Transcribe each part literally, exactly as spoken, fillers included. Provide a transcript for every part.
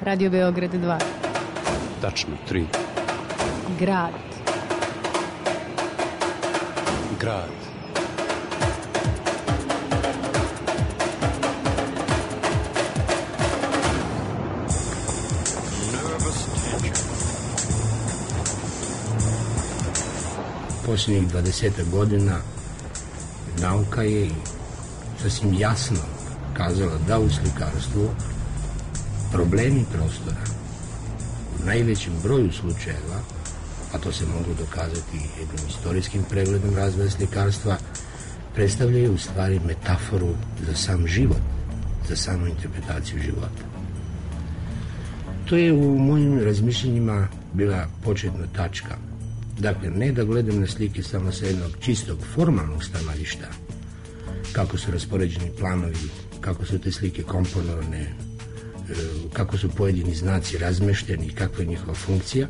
Radio Beograd dva. Tačno, tri. Grad. Grad. Posljednjih dvadesetak godina nauka je sasvim jasno kazala da u slikarstvu problemi prostora u najvećem broju slučajeva, a to se moglo dokazati jednim istorijskim pregledom razvoja slikarstva, predstavljaju u stvari metaforu za sam život, za samu interpretaciju života. To je u mojim razmišljenjima bila početna tačka. Dakle, ne da gledam na slike samo sa jednog čistog formalnog stanovišta, kako su raspoređeni planovi, kako su te slike komponovane, kako su pojedini znaci razmešteni, kakva je njihova funkcija,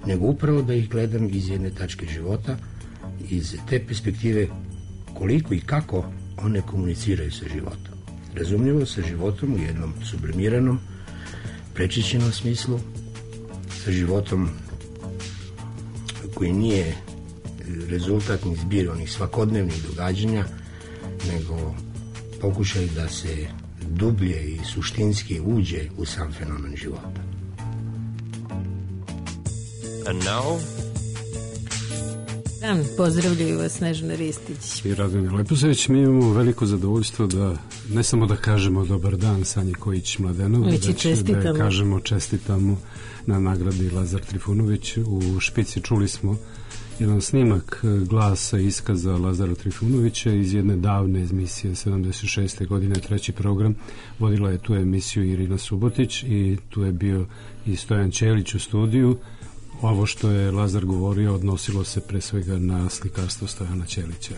nego upravo da ih gledam iz jedne tačke života, iz te perspektive koliko i kako one komuniciraju sa životom. Razumljivo sa životom u jednom sublimiranom, prečišćenom smislu, sa životom koji nije rezultat ni zbir onih svakodnevnih događanja, nego pokušaj da se dublje i suštinski uđe u sam fenomen života. And now? Dan, pozdravljaju vas Snežana Ristić I Radonja Leposević. Mi imamo veliko zadovoljstvo da ne samo da kažemo dobar dan Sanji Kojić-Mladenov, već da kažemo čestitamo na nagradi Lazar Trifunović. U Špici čuli smo jedan snimak glasa iskaza Lazara Trifunovića iz jedne davne emisije sedamdeset šeste godine, treći program. Vodila je tu emisiju Irina Subotić i tu je bio i Stojan Ćelić u studiju. Ovo što je Lazar govorio odnosilo se pre svega na slikarstvo Stojana Ćelića.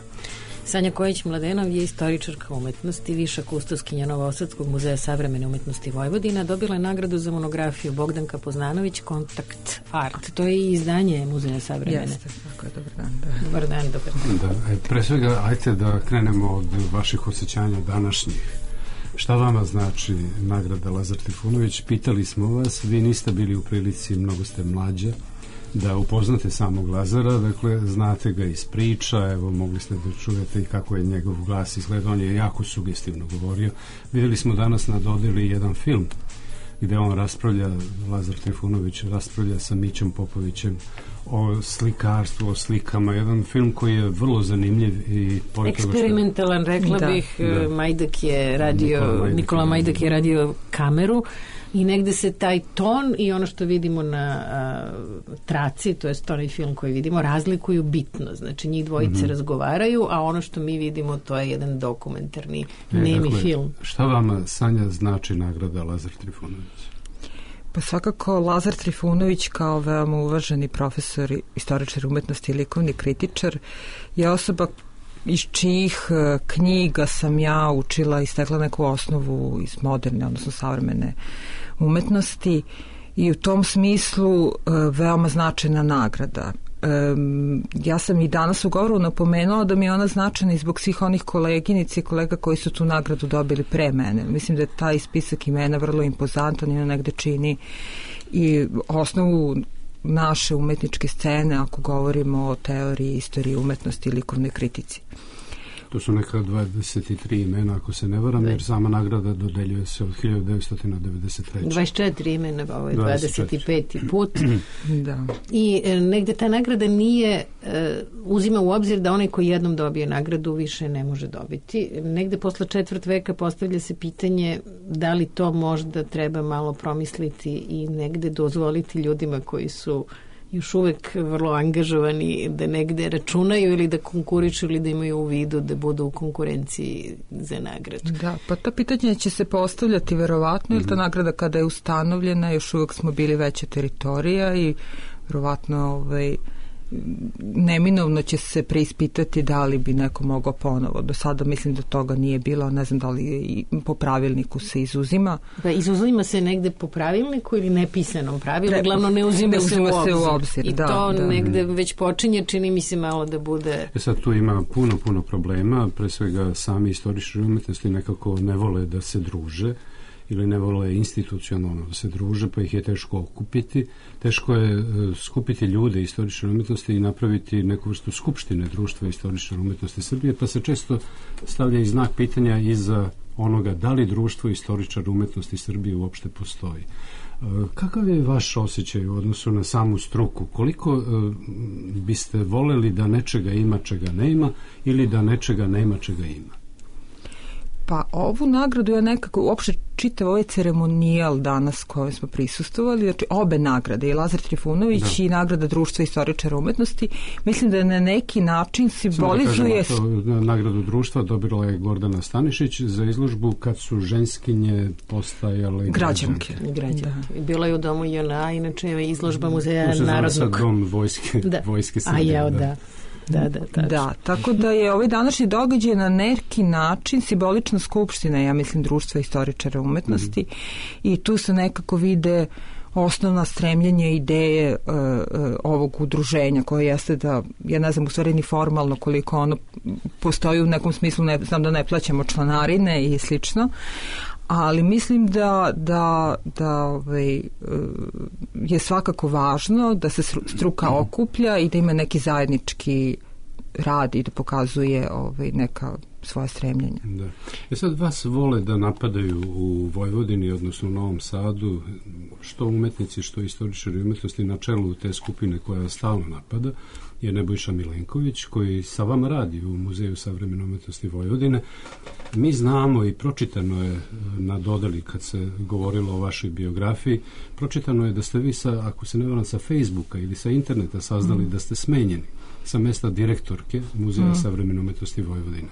Sanja Kojić-Mladenov je istoričarka umetnosti, viša kustoskinja Novosadskog muzeja savremene umetnosti Vojvodina. Dobila je nagradu za monografiju Bogdanka Poznanović Kontakt Art. To je i izdanje Muzeja savremene. Jeste, tako je, dobar dan. Da. Dobar dan, dobar dan. Da, pre svega, ajte da krenemo od vaših osjećanja današnjih. Šta vama znači nagrada Lazar Trifunović? Pitali smo vas, vi niste bili u prilici, mnogo ste mlađa, da upoznate samog Lazara, dakle, znate ga iz priča, evo, mogli ste da čujete i kako je njegov glas izgleda, on je jako sugestivno govorio. Vidjeli smo danas na dodeli jedan film gde on raspravlja, Lazar Trifunović raspravlja sa Mićom Popovićem o slikarstvu, o slikama, jedan film koji je vrlo zanimljiv i eksperimentalan, rekla da, bih. Da. Majdak je radio, Nikola Majdak, Nikola Majdak je radio kameru i negde se taj ton i ono što vidimo na a, traci, to je onaj film koji vidimo, razlikuju bitno. Znači, njih dvojice mm-hmm. razgovaraju, a ono što mi vidimo, to je jedan dokumentarni e, nemi dakle, film. Šta vama, Sanja, znači nagrada Lazar Trifunović? Pa svakako Lazar Trifunović kao veoma uvaženi profesor, istoričar umetnosti i likovni kritičar je osoba iz čijih knjiga sam ja učila i stekla neku osnovu iz moderne, odnosno savremene umetnosti i u tom smislu veoma značajna nagrada. Ja sam i danas u govoru napomenula da mi je ona značajna i zbog svih onih koleginici i kolega koji su tu nagradu dobili pre mene. Mislim da je taj spisak imena vrlo impozantan i on negde čini i osnovu naše umetničke scene ako govorimo o teoriji, istoriji umetnosti i likovnoj kritici. To su neka dvadeset tri imena, ako se ne varam, jer sama nagrada dodeljuje se od hiljadu devetsto devedeset treće. dvadeset četiri imena, ovo je dvadeset peti put. Da. I e, negde ta nagrada nije, e, uzima u obzir da onaj koji jednom dobije nagradu više ne može dobiti. Negde posle četvrt veka postavlja se pitanje da li to možda treba malo promisliti i negde dozvoliti ljudima koji su još uvek vrlo angažovani da negde računaju ili da konkurišu ili da imaju u vidu da budu u konkurenciji za nagradu. Da, pa to pitanje će se postavljati verovatno, jer ta nagrada kada je ustanovljena još uvek smo bili veća teritorija i verovatno ovaj, neminovno će se preispitati da li bi neko mogao ponovo. Do sada mislim da toga nije bilo, ne znam da li i po pravilniku se izuzima. Pa izuzima se negde po pravilniku ili nepisanom pravilu, uglavno ne uzima, ne uzima se, u se u obzir. obzir. I da, to da. negde već počinje, čini mi se malo da bude... E sad tu ima puno, puno problema, pre svega sami istoričari umetnosti nekako ne vole da se druže ili ne vole institucionalno da se druže, pa ih je teško okupiti. Teško je uh, skupiti ljude istorične umetnosti i napraviti neku vrstu skupštine društva istorične umetnosti Srbije, pa se često stavlja i znak pitanja iza onoga da li društvo istoričar umetnosti Srbije uopšte postoji. Kakav je vaš osjećaj u odnosu na samu struku? Koliko uh, biste voleli da nečega ima čega nema ili da nečega nema čega ima? Pa ovu nagradu ja nekako uopšte čitav ovaj ceremonijal danas kojem smo prisustvovali, znači obe nagrade, i Lazar Trifunović da. i nagrada Društva istoričara umetnosti, mislim da na neki način simbolizuje... Da kažemo, nagradu društva dobila je Gordana Stanišić za izložbu Kad su ženskinje postajale građanke. građanke. Da. Bila je u domu J N A, inače je izložba Muzeja Narodnog. Narodnog. Dom vojske, da. vojske Srbije. A ja, da. da. Da, da, tačno. da, tako da je ovaj današnji događaj na neki način simbolična skupština, ja mislim, Društva istoričara umetnosti mm-hmm. i tu se nekako vide osnovna stremljenja ideje uh, uh, ovog udruženja koje jeste da, ja ne znam u stvari ni formalno koliko ono postoji u nekom smislu, ne znam da ne plaćamo članarine i slično, ali mislim da, da, da ovaj, je svakako važno da se struka okuplja i da ima neki zajednički rad i da pokazuje ovaj, neka svoje stremljenja. Da. E sad vas vole da napadaju u Vojvodini, odnosno u Novom Sadu, što umetnici, što istoričari umetnosti, na čelu te skupine koja stalno napada je Nebojša Milenković, koji sa vama radi u Muzeju savremene umetnosti Vojvodine. Mi znamo i pročitano je na dodali kad se govorilo o vašoj biografiji, pročitano je da ste vi, sa, ako se ne varam, sa Facebooka ili sa interneta saznali mm. da ste smenjeni sa mesta direktorke Muzeja mm. savremene umetnosti Vojvodine.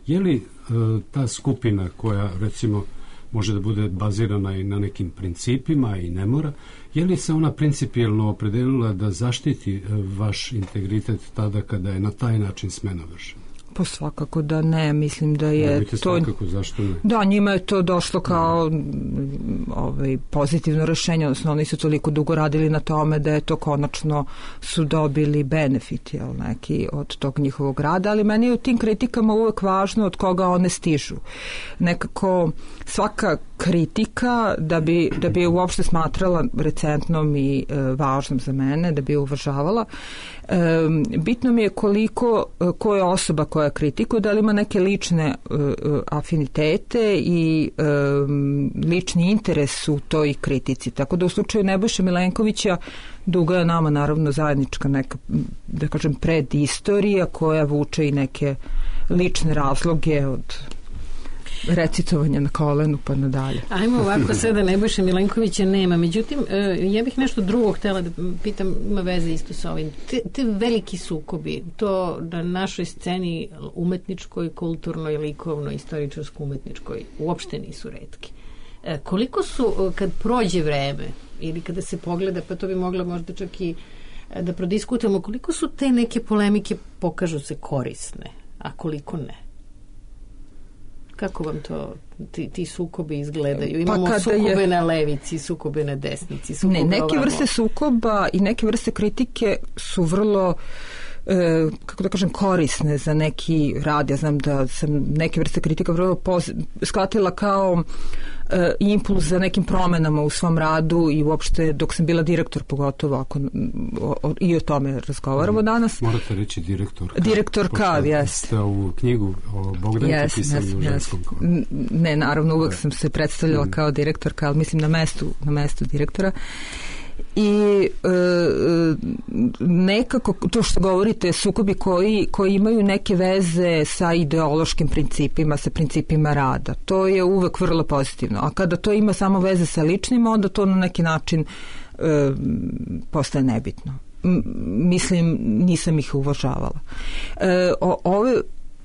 Je li uh, ta skupina koja, recimo, može da bude bazirana i na nekim principima i ne mora, je li se ona principijelno opredelila da zaštiti uh, vaš integritet tada kada je na taj način smena vršena? Pa svakako da ne, mislim da je ne, to... Svakako, zašto ne? Da, njima je to došlo kao mm. ovaj, pozitivno rešenje, odnosno oni su toliko dugo radili na tome da je to konačno su dobili benefit, jel, neki od tog njihovog rada, ali meni je u tim kritikama uvek važno od koga one stižu. Nekako svaka kritika da bi, da bi je uopšte smatrala recentnom i e, važnom za mene, da bi je uvažavala. E, bitno mi je koliko, ko je osoba koja kritikuje, da li ima neke lične e, afinitete i e, lični interes u toj kritici. Tako da u slučaju Nebojše Milenkovića duga je nama naravno zajednička neka, da kažem, predistorija koja vuče i neke lične razloge od recitovanja na kolenu pa nadalje. Ajmo ovako sada, Nebojše Milenkovića nema. Međutim, ja bih nešto drugo htjela da pitam, ima veze isto sa ovim. Te, te veliki sukobi, to na našoj sceni umetničkoj, kulturnoj, likovnoj, istoričarsko-umetničkoj uopšte nisu retki. Koliko su, kad prođe vreme ili kada se pogleda, pa to bi mogla možda čak i da prodiskutujemo, koliko su te neke polemike pokažu se korisne, a koliko ne? Kako vam to, ti, ti sukobi izgledaju? Imamo pa sukobe je... na levici, sukobe na desnici, sukobe ne, neke ovamo. Vrste sukoba i neke vrste kritike su vrlo e, kako da kažem, korisne za neki rad. Ja znam da sam neke vrste kritika vrlo poz... shvatila kao e, impuls za nekim promenama u svom radu i uopšte dok sam bila direktor, pogotovo ako o, o, i o tome razgovaramo danas. Morate reći direktorka. Direktorka, jes. Ste ovu knjigu o Bogdanki yes, pisali yes, u ženskom yes. kolu. Ne, naravno, uvek sam se predstavljala mm. kao direktorka, ali mislim na mestu, na mestu direktora. I e, nekako to što govorite, sukobi koji, koji imaju neke veze sa ideološkim principima, sa principima rada, to je uvek vrlo pozitivno, a kada to ima samo veze sa ličnim, onda to na neki način e, postaje nebitno. M, mislim, nisam ih uvažavala. E, o, ove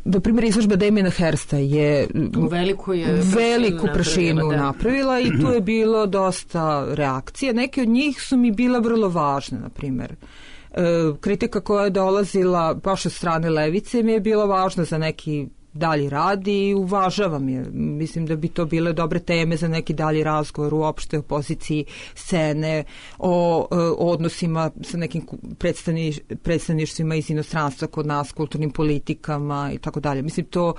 do primjer, izložba Damiena Hirsta je veliku, je veliku prašinu napravila, napravila i tu je bilo dosta reakcija. Neke od njih su mi bila vrlo važne, na primjer. E, kritika koja je dolazila baš od strane levice mi je bila važna za neki dalji rad i uvažavam je. Mislim da bi to bile dobre teme za neki dalji razgovor uopšte o poziciji scene, o, o odnosima sa nekim predstavniš, predstavništvima iz inostranstva kod nas, kulturnim politikama i tako dalje. Mislim to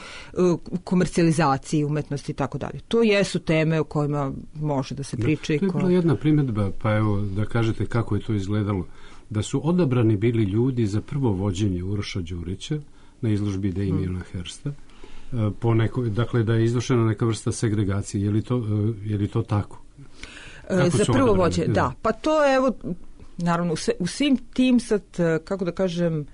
komercijalizaciji umetnosti i tako dalje. To jesu teme o kojima može da se priča. Da, to je bila jedna primjedba, pa evo da kažete kako je to izgledalo. Da su odabrani bili ljudi za prvo vođenje Uroša Đurića na izložbi Damiena Hirsta, po neko, dakle da je izvršena neka vrsta segregacije. Je li to, je li to tako? Kako za prvo vođenje, da. da. Pa to evo, naravno, u, sve, u svim tim sad, kako da kažem,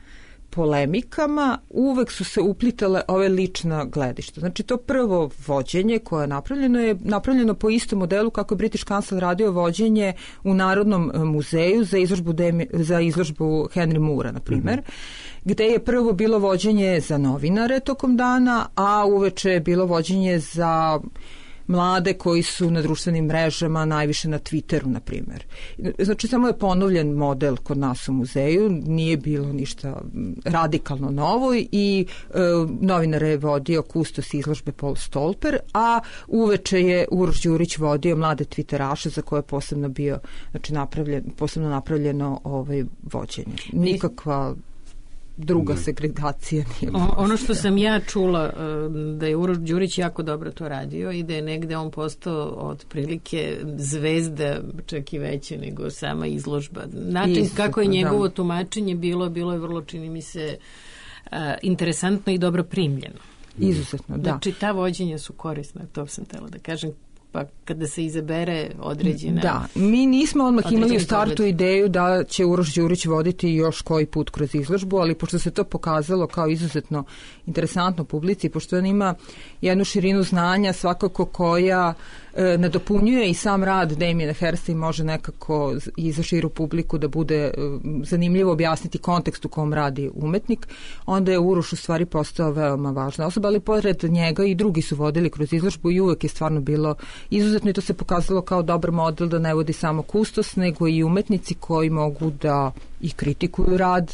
polemikama uvek su se uplitale ove lična gledišta. Znači to prvo vođenje koje je napravljeno je napravljeno po istom modelu kako je British Council radio vođenje u Narodnom muzeju za izložbu, Demi, za izložbu Henry Moora, na primjer, mm-hmm. gde je prvo bilo vođenje za novinare tokom dana, a uveče je bilo vođenje za mlade koji su na društvenim mrežama, najviše na Twitteru, na primjer. Znači, samo je ponovljen model kod nas u muzeju, nije bilo ništa radikalno novo i e, novinare je vodio kustos izložbe Paul Stolper, a uveče je Uroš Đurić vodio mlade Twitteraše za koje je posebno bio, znači, napravljen, posebno napravljeno ovaj, vođenje. Nikakva druga segregacija nije. O, ono što sam ja čula da je Uroš Đurić jako dobro to radio i da je negde on postao otprilike zvezda, čak i veće nego sama izložba. Način Isto, kako je njegovo da. tumačenje bilo, bilo je vrlo, čini mi se, a, interesantno i dobro primljeno. Izuzetno, da. Znači, ta vođenja su korisna, to sam htjela da kažem, pa kada se izabere određena... Da, mi nismo odmah imali u startu pogled. ideju da će Uroš Đurić voditi još koji put kroz izložbu, ali pošto se to pokazalo kao izuzetno interesantno publici, pošto on ima jednu širinu znanja svakako koja e, nadopunjuje i sam rad Damiena Hirsta i može nekako i za širu publiku da bude e, zanimljivo objasniti kontekst u kom radi umetnik, onda je Uroš u stvari postao veoma važna osoba, ali pored njega i drugi su vodili kroz izložbu i uvek je stvarno bilo izuzetno i to se pokazalo kao dobar model da ne vodi samo kustos, nego i umetnici koji mogu da i kritikuju rad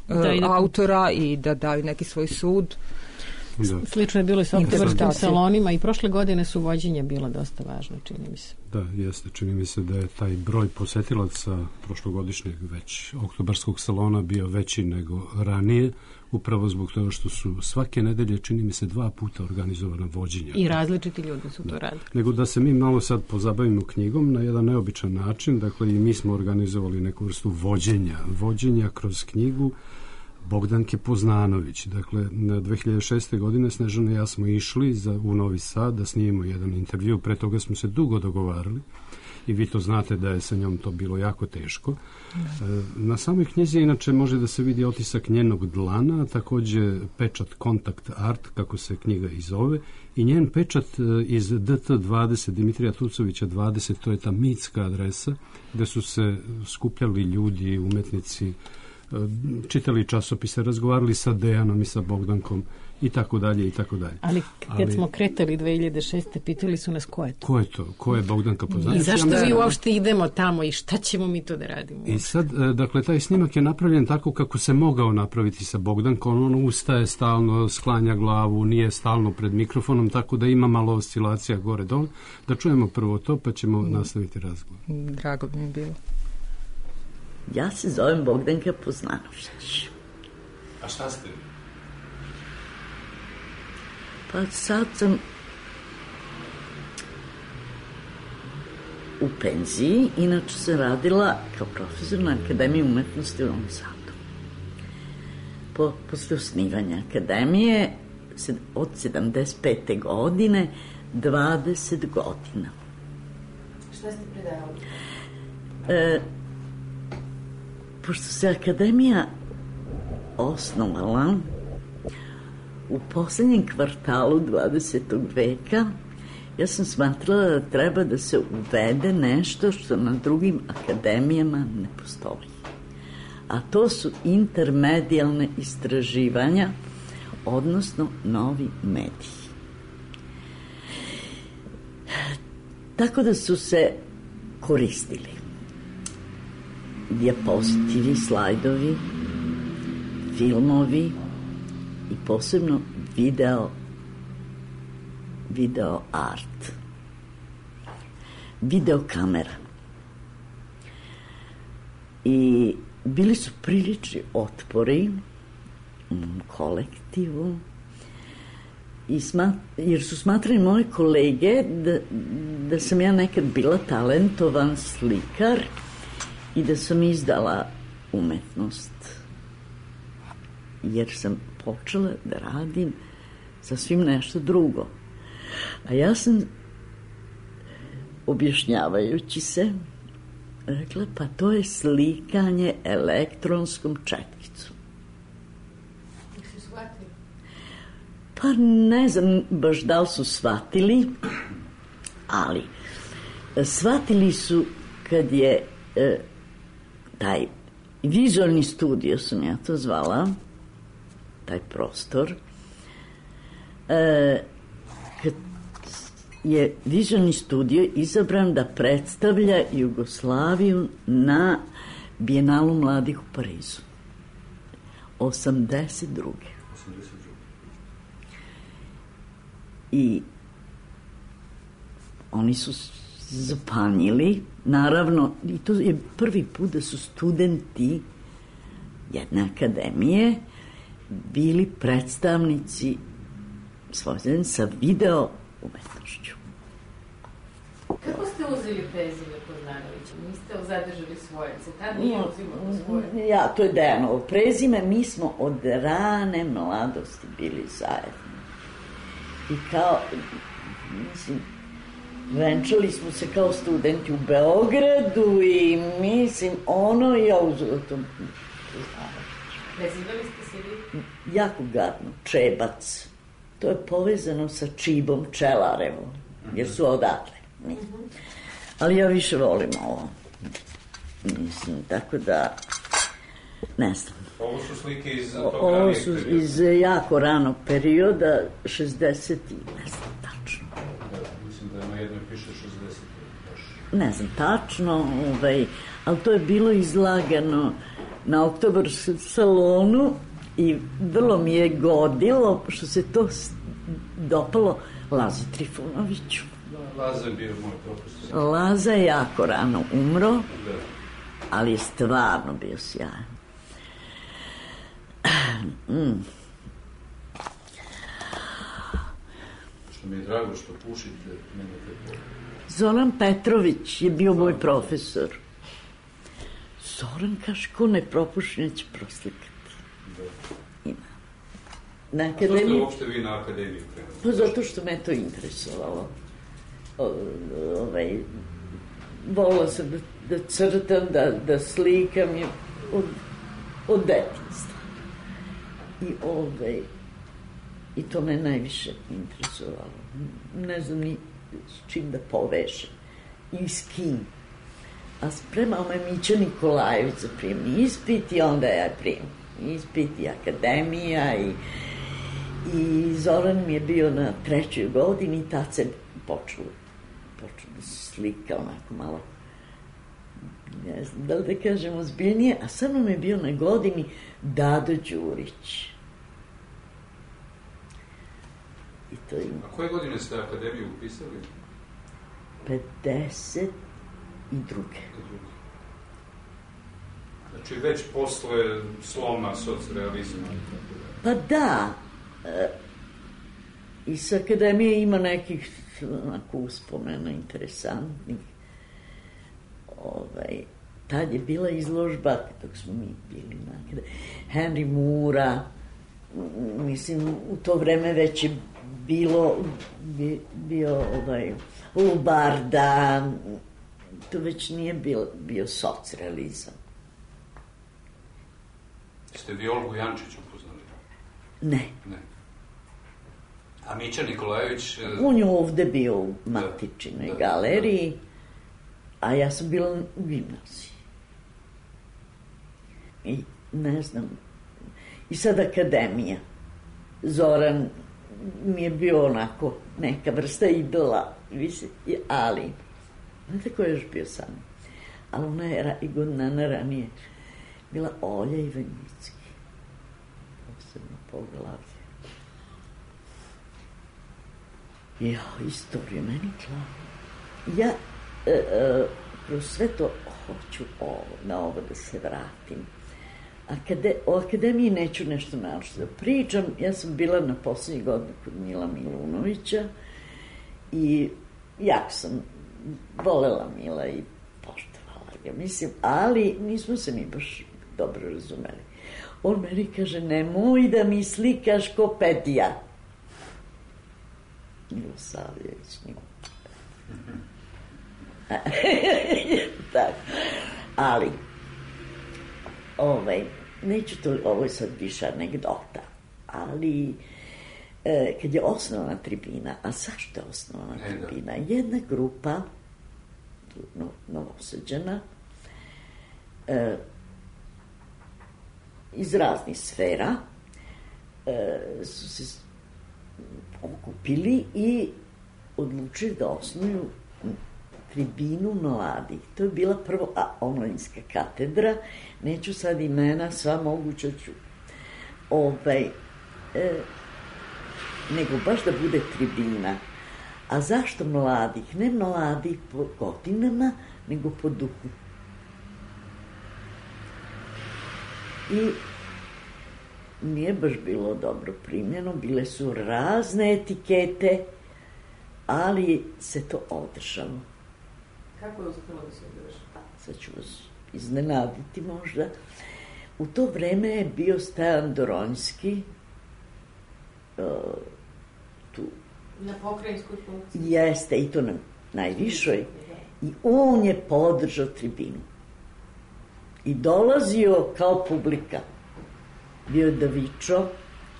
da, i da, autora i da daju neki svoj sud. Da. Slično je bilo i s oktobarskim salonima i prošle godine su vođenja bila dosta važna, čini mi se. Da, jeste. Čini mi se da je taj broj posetilaca prošlogodišnjeg već oktobarskog salona bio veći nego ranije, upravo zbog toga što su svake nedelje, čini mi se, dva puta organizovana vođenja. I različiti ljudi su to da. radili. Nego da se mi malo sad pozabavimo knjigom na jedan neobičan način, dakle i mi smo organizovali neku vrstu vođenja, vođenja kroz knjigu Bogdanke Poznanović. Dakle, na dve hiljade šeste. godine Snežana i ja smo išli za, u Novi Sad da snimimo jedan intervju. Pre toga smo se dugo dogovarali i vi to znate da je sa njom to bilo jako teško. Da. Na samoj knjizi inače može da se vidi otisak njenog dlana, takođe pečat Kontakt Art, kako se knjiga i zove, i njen pečat iz D T dvadeset, Dimitrija Tucovića dvadeset, to je ta mitska adresa gde su se skupljali ljudi, umetnici, čitali časopise, razgovarali sa Dejanom i sa Bogdankom i tako dalje i tako dalje. Ali kad Ali, smo kretali dve hiljade šeste. pitali su nas ko je to? Ko je to? Ko je Bogdanka Poznanović? I zašto ja mi uopšte idemo tamo i šta ćemo mi to da radimo? I sad, dakle, taj snimak je napravljen tako kako se mogao napraviti sa Bogdankom. On ustaje stalno, sklanja glavu, nije stalno pred mikrofonom, tako da ima malo oscilacija gore-dole. Da čujemo prvo to, pa ćemo mm. nastaviti razgovor. Drago bi mi bilo. Ja se zovem Bogdanka Poznanović. A šta ste? Pa sad sam u penziji, inače sam radila kao profesor na Akademiji umetnosti u Novom Sadu. Po, posle osnivanja Akademije od sedamdeset pete. godine dvadeset godina. Šta ste predavali? E, pošto se Akademija osnovala u poslednjem kvartalu dvadesetog veka, ja sam smatrala da treba da se uvede nešto što na drugim akademijama ne postoji. A to su intermedijalne istraživanja, odnosno novi mediji. Tako da su se koristili dijapozitivi, slajdovi, filmovi i posebno video video art, video kamera. I bili su prilični otpori u kolektivu, i smat, jer su smatrali moje kolege da, da sam ja nekad bila talentovan slikar i da sam izdala umetnost, jer sam počela da radim sasvim nešto drugo. A ja sam, objašnjavajući se, rekla, pa to je slikanje elektronskom četkicom. Su shvatili? Pa ne znam baš da li su shvatili, ali shvatili su kad je e, taj vizualni studio, sam ja to zvala, taj prostor, e, kad je vizualni studio izabran da predstavlja Jugoslaviju na Bijenalu mladih u Parizu. osamdeset druge. I oni su zapanjili, naravno, i to je prvi put da su studenti jedne akademije bili predstavnici svoje sa video umetnošću. Kako ste uzeli prezime Poznanovića? Niste zadržali svoje? Se tad nije uzimalo svoje? Ja, to je Dejanovo prezime. Mi smo od rane mladosti bili zajedno. I kao, mislim, venčali smo se kao studenti u Beogradu i mislim, ono i ja uzela to. Prezivali ste se vi? Jako gadno, Čebac. To je povezano sa Čibom Čelarevom, jer su odatle. Ali ja više volim ovo. Mislim, tako da, ne znam. Ovo su slike iz tog Ovo ranijeg su perioda. iz jako ranog perioda, šezdeset i ne znam tačno. Da, mislim da na jednoj piše šezdeset. Ne znam tačno, ovaj, ali to je bilo izlagano na Oktobarskom salonu i vrlo mi je godilo što se to dopalo Lazi Trifunoviću. Da, Laza je bio moj profesor. Laza je jako rano umro, Da. ali je stvarno bio sjajan. Mm. Što mi je drago što pušite, nemate pojma. Zoran Petrović je bio moj profesor. Zoran kaže, ko ne propuši, neće proslikati. Da. Ima. Na Što ste akademiji... uopšte vi na akademiju krenuli? Pa zato što me to interesovalo. O, ovaj, volila sam da, da crtam, da, da slikam je od, od detinjstva. I ovaj, i to me najviše interesovalo. Ne znam ni s čim da povežem. I s kim. A spremao me Mića Nikolajević za prijemni ispit i onda ja prijemni ispit i akademija i I Zoran mi je bio na trećoj godini i tad se počeo, počeo da se slika onako malo, ne znam da li da kažem ozbiljnije, a sa mnom je bio na godini Dado Đurić. I to ima. A koje godine ste akademiju upisali? pedeset druge. Znači već posle sloma socrealizma. Pa da, e, i sa akademije ima nekih onako uspomena interesantnih. Ovaj, tad je bila izložba, dok smo mi bili na akademiji, Henry Moora, mislim, u to vreme već je bilo, bi, bio ovaj, Lubarda, to već nije bio, bio socrealizam. Ste vi Olgu Jančić upoznali? Ne. Ne. A Mića Nikolajević... On je ovde bio u Matičinoj da, galeriji, da. A ja sam bila u gimnaziji. I ne znam, i sad akademija. Zoran mi je bio onako neka vrsta idola, ali, znate ko je još bio sam? Ali ona je i godina ranije bila Olja Ivanjicki. Posebno poglavlje. Ja, istorija meni klava. Ja e, e, kroz sve to hoću ovo, na ovo da se vratim. Akade, o akademiji neću nešto našto da pričam. Ja sam bila na poslednjih godina kod Mila Milunovića i jako sam volela Mila i poštovala ga, mislim, ali nismo se mi baš dobro razumeli. On meni kaže, nemoj da mi slikaš ko Pedija. Milosavljević, njima. Tako. Ali, ovaj, neću to, ovo je sad više anegdota, ali e, kad je osnovana tribina, a zašto je osnovana e, tribina? Jedna grupa, no, novosađena, e, iz raznih sfera, e, su se okupili i odlučili da osnuju tribinu mladih. To je bila prvo a, omladinska katedra, neću sad imena, sva moguća ću, ovaj, e, nego baš da bude tribina. A zašto mladih? Ne mladih po godinama, nego po duhu. I nije baš bilo dobro primljeno, bile su razne etikete, ali se to održalo. Kako je uspjelo da se održalo? Sad ću vas iznenaditi možda. U to vreme je bio Stojan Doronjski, uh, tu. Na pokrajinskoj funkciji? Jeste, i to na najvišoj. I on je podržao tribinu. I dolazio kao publika. Bio je Davičo,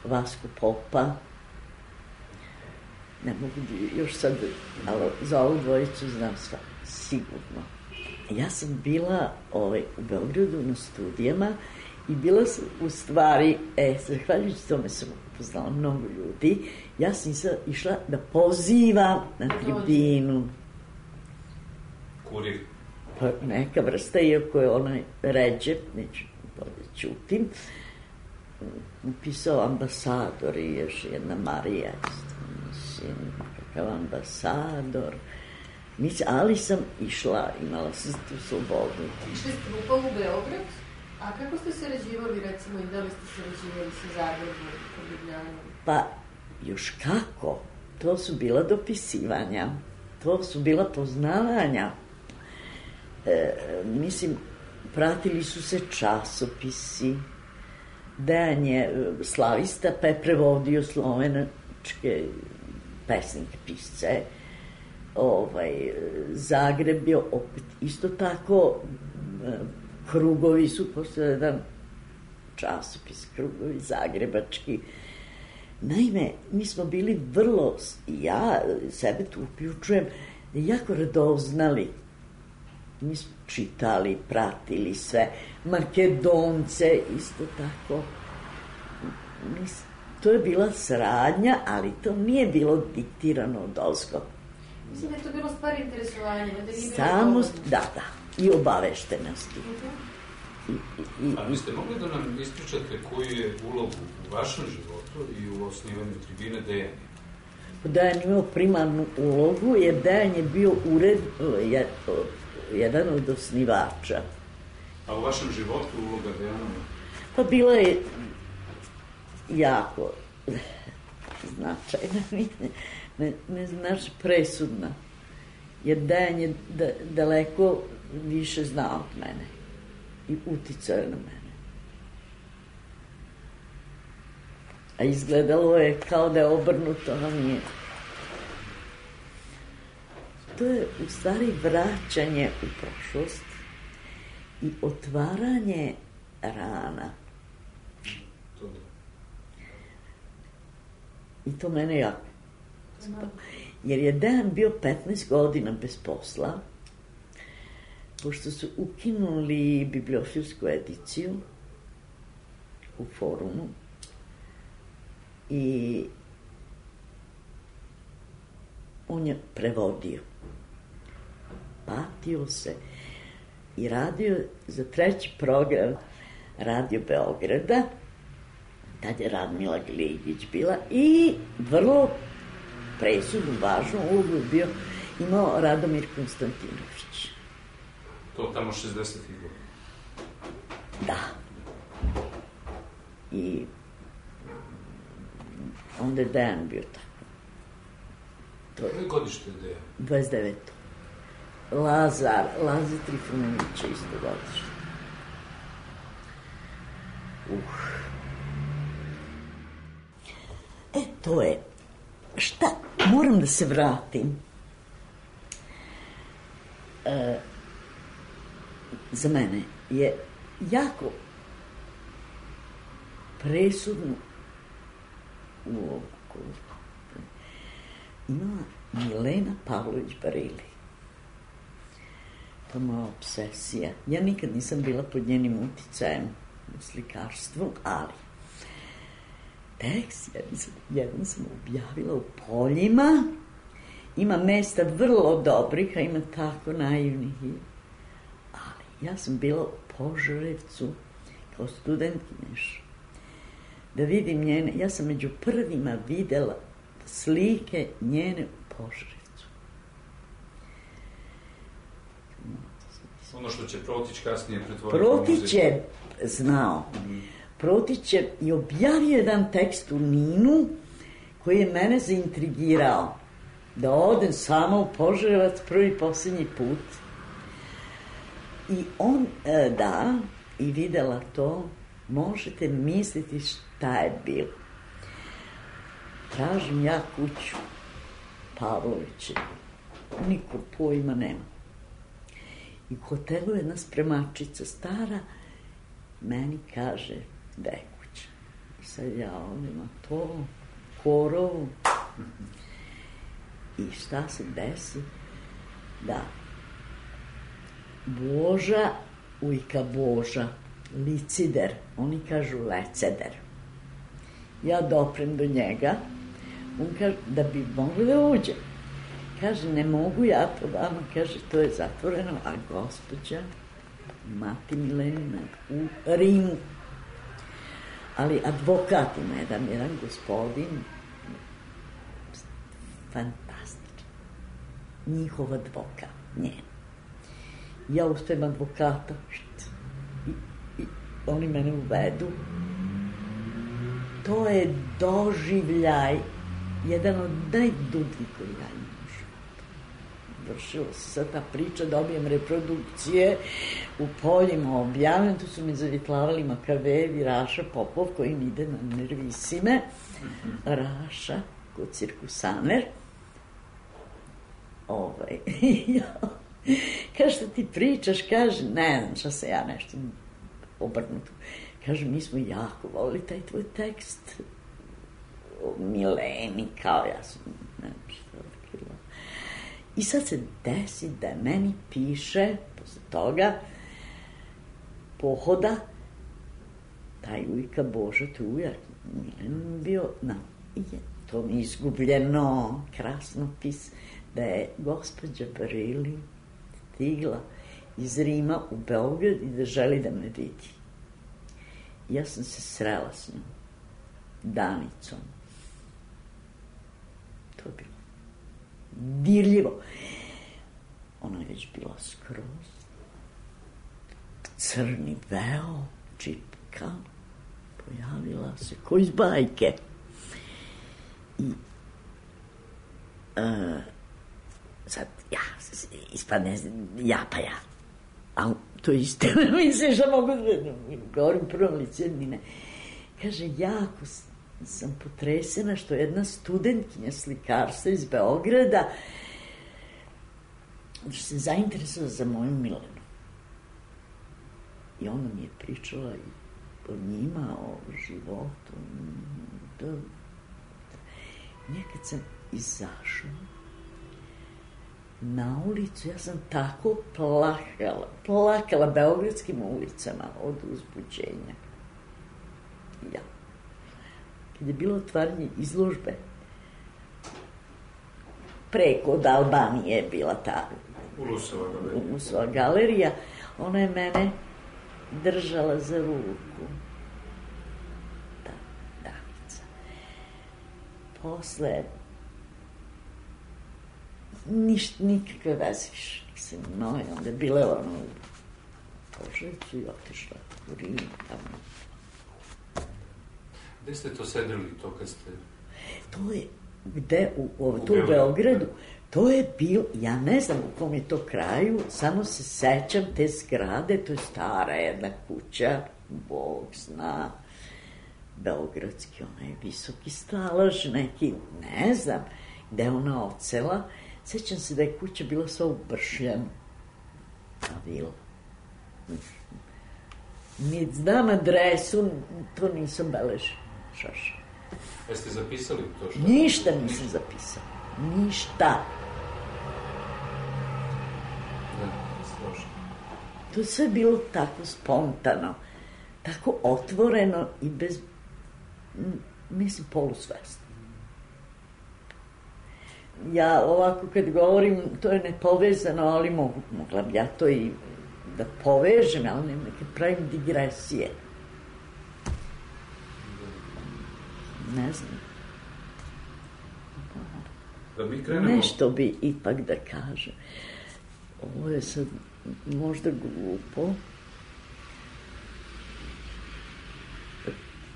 Vasko Popa, ne mogu još sad, ali za ovu dvojicu znam sva, sigurno. Ja sam bila ovaj, u Beogradu na studijama i bila sam u stvari, e, zahvaljujući tome sam upoznala mnogo ljudi, ja sam sad išla da pozivam na tribinu. Kurir? Pa neka vrsta, iako je onaj ređe, neću bolje ćutim, upisao ambasador i još jedna Marija, mislim, kakav ambasador. Mislim, ali sam išla, imala sam tu slobodu. Išli ste grupa u Beograd, a kako ste sarađivali, recimo, i da li ste sarađivali sa Zagrebom, sa Ljubljanom? Pa, još kako? To su bila dopisivanja, to su bila poznavanja. E, mislim, pratili su se časopisi, Dejan je slavista, pa je prevodio slovenačke pesnike, pisce. Ovaj, Zagreb je opet isto tako, krugovi su, postoje jedan časopis, krugovi zagrebački. Naime, mi smo bili vrlo, ja sebe tu uključujem, jako radoznali. Mi smo čitali, pratili sve, Makedonce, isto tako. Mis, to je bila saradnja, ali to nije bilo diktirano od ozgo. Mislim da je to bilo stvar interesovanja. Da Samo, da, da, i obaveštenosti. Uh-huh. I, i, i... A vi ste mogli da nam ispričate koju je ulogu u vašem životu i u osnivanju tribine Dejan? Dejan imao primarnu ulogu, jer Dejan je bio ured, jer, jedan od osnivača. A u vašem životu uloga Dejana? Pa bila je jako značajna, ne, ne, ne znaš, presudna. Jer Dejan je da, daleko više znao od mene i uticao je na mene. A izgledalo je kao da je obrnuto, a nije. To je u stvari vraćanje u prošlost i otvaranje rana. I to mene jako. Jer je Dejan bio petnaest godina bez posla, pošto su ukinuli bibliofilsku ediciju u Forumu i on je prevodio. Patio se i radio za treći program Radio Beograda, tad je Radmila Gligić bila, i vrlo presudnu, važnu ulogu je bio imao Radomir Konstantinović. To tamo šezdesetih godina. Da. I onda je Dejan bio tako. Koje godište je Dejan? dvadeset deveto Lazar, Lazar Trifunović je isto godište. Uh. E, to je. Šta? Moram da se vratim. E, za mene je jako presudnu ulogu imala Milena Pavlović Barili. To je moja obsesija. Ja nikad nisam bila pod njenim uticajem u slikarstvu, ali tekst jedan sam, jedan sam objavila u Poljima. Ima mesta vrlo dobrih, a ima tako naivnih. Ali ja sam bila u Požarevcu kao studentkinješ. Da vidim njene, ja sam među prvima videla slike njene u Požarevcu. Ono što će Protić kasnije pretvoriti. Protić je znao. Protić je i objavio jedan tekst u Ninu koji je mene zaintrigirao. Da odem sama u Požarevac prvi i posljednji put. I on, da, i videla to, možete misliti šta je bilo. Tražim ja kuću Pavlovića. Niko pojma nema. I u hotelu jedna spremačica stara meni kaže da je kuća. I sad ja ovdje na to, korovu. I šta se desi? Da. Boža, ujka Boža, licider, oni kažu leceder. Ja doprem do njega, on kaže da bi mogli da uđe. Kaže, ne mogu ja to vama, kaže, to je zatvoreno, a gospođa, mati Milenina, u Rimu. Ali advokat ima jedan, jedan gospodin, fantastičan, njihov advokat, njen. Ja uspijem advokata, i, i oni mene uvedu. To je doživljaj, jedan od najdubljih koji ja imam u životu. Vršila se sad ta priča, dobijem reprodukcije, u Poljima objavljam, tu su mi zavitlavali Makavejevi, Raša Popov, koji mi ide na nervisime, Raša, kod Cirkusaner. Ovaj, kaže, šta ti pričaš, kaže, ne znam šta se ja nešto obrnuto. Kaže, mi smo jako volili taj tvoj tekst o Mileni, kao ja sam, ne znam šta otkriva. I sad se desi da meni piše, posle toga, pohoda, taj ujka Boža, tu ujak, Milen bio, na, je, to mi je izgubljeno, krasnopis, da je gospođa Barili stigla iz Rima u Beograd i da želi da me vidi. Ja sam se srela s njom, Danicom. To je bilo dirljivo. Ona je već bila skroz. Crni veo, čipka, pojavila se ko iz bajke. I uh, sad, ja, ispadne, ja pa ja. A to je isto, misliš da mogu da govorim prvom licu, ne. Kaže, jako sam potresena što jedna studentkinja slikarstva iz Beograda što se zainteresovala za moju Milenu. I ona mi je pričala i o njima, o životu. Da. Nekad sam izašla na ulicu, ja sam tako plakala, plakala beogradskim ulicama od uzbuđenja. Ja. Kad je bilo otvaranje izložbe, preko od Albanije je bila ta Ulusova galerija. Ulusova galerija, ona je mene držala za ruku. Da, Danica. Posle niš, nikakve veze više nisam imao. I onda je bile ono u Požarevcu i otišla u Rim tamo. Gde ste to sedeli, to kad ste... To je, gde, u, u, tu u Beogradu, to je bio, ja ne znam u kom je to kraju, samo se sećam te zgrade, to je stara jedna kuća, Bog zna, beogradski, onaj visoki stalaž, neki, ne znam, gde ona ocela. Sećam se da je kuća bila sva ubršljena, ta vila. Ni znam adresu, to nisam beležila, šaša. Jeste zapisali to što... Ništa nisam zapisala, ništa. Ne, strašno. To je sve bilo tako spontano, tako otvoreno i bez, mislim, polusvesno. Ja ovako kad govorim, to je nepovezano, ali mogu, mogla bi ja to i da povežem, ali ne neke pravim digresije. Ne znam. Da mi krenemo... Nešto bi ipak da kažem. Ovo je sad možda glupo,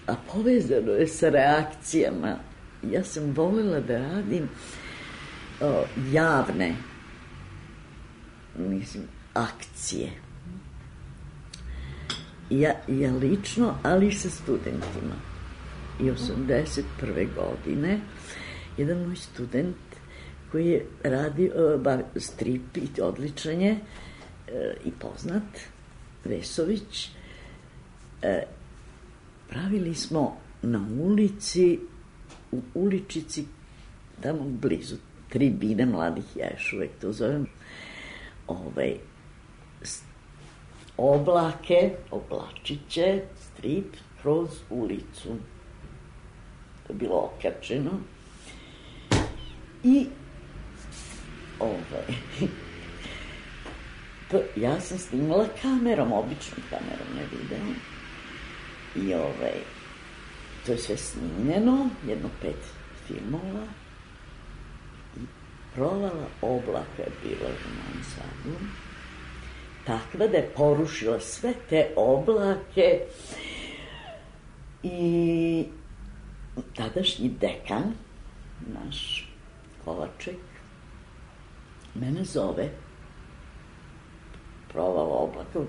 a povezano je sa reakcijama. Ja sam voljela da radim o, javne, mislim, akcije. Ja, ja lično, ali i sa studentima. I osamdeset prve godine jedan moj student koji je radio uh, strip i odličan je uh, i poznat, Vesović, uh, pravili smo na ulici, u uličici, tamo blizu tribine mladih, ja još uvek to zovem, ovaj, oblake, oblačiće, strip kroz ulicu. To je bilo okačeno. I ovaj, to, ja sam snimala kamerom, običnom kamerom, ne videom. I ovaj, to je sve snimljeno, jedno pet filmova. I provala oblaka je bila u Novom Sadu. Takva da je porušila sve te oblake. I tadašnji dekan, naš Kovaček, mene zove, provala oblaka,